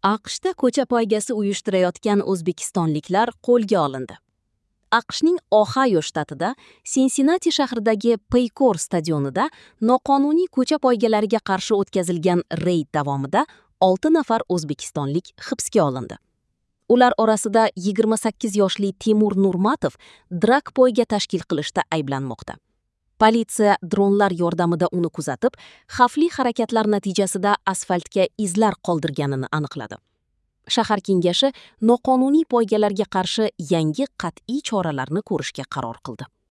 AQShda ko'cha poygasi uyushtirayotgan o'zbekistonliklar qo'lga olindi. AQShning Ohayo shtatida, Sinsinati shahridagi Paykor stadionida noqonuniy ko'cha poygalariga qarshi o'tkazilgan reyd davomida 6 nafar o'zbekistonlik hibsga olindi. Ular orasida 28 yoshli Timur Nurmatov drag poyga tashkil qilishda ayblanmoqda. Politsiya dronlar yordamida uni kuzatib, xavfli harakatlar natijasida asfaltga izlar qoldirganini aniqladi. Shahar kengashi noqonuniy poygalarga qarshi yangi qat'iy choralarni ko'rishga qaror qildi.